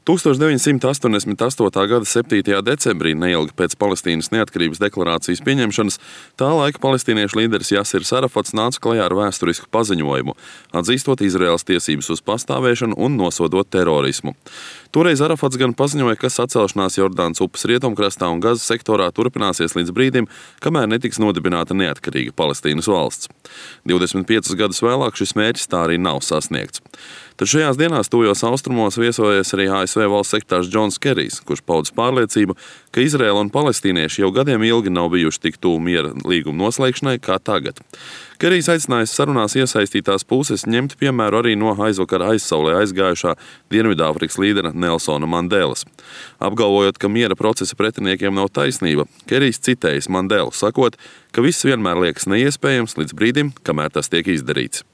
1988. gada 7. decembrī, neilgi pēc Palestīnas neatkarības deklarācijas pieņemšanas, tā laika palestīniešu līderis Jasirs Arafats nāca klajā ar vēsturisku paziņojumu, atzīstot Izraēlas tiesības uz pastāvēšanu un nosodot terorismu. Toreiz Arafats gan paziņoja, ka sacelšanās Jordānas upes rietumkrastā un Gazas sektorā turpināsies līdz brīdim, kamēr netiks nodibināta neatkarīga Palestīnas valsts. 25 gadus vēlāk šis mērķis tā arī nav sasniegts. Tad šajās dienās tuvajos austrumos viesojies arī ASV valsts sekretārs Džons Kerijs, kurš paudis pārliecību, ka Izraēla un palestīnieši jau gadiem ilgi nav bijuši tik tuvu miera līguma noslēgšanai kā tagad. Kerijs aicinājis sarunās iesaistītās puses ņemt piemēru arī no aizvakar aizsaulē aizgājušā Dienvidāfrikas līdera Nelsona Mandelas. Apgalvojot, ka miera procesa pretiniekiem nav taisnība, Kerijs citējis Mandelu, sakot, ka viss vienmēr liekas neiespējams līdz brīdim, kamēr tas tiek izdarīts.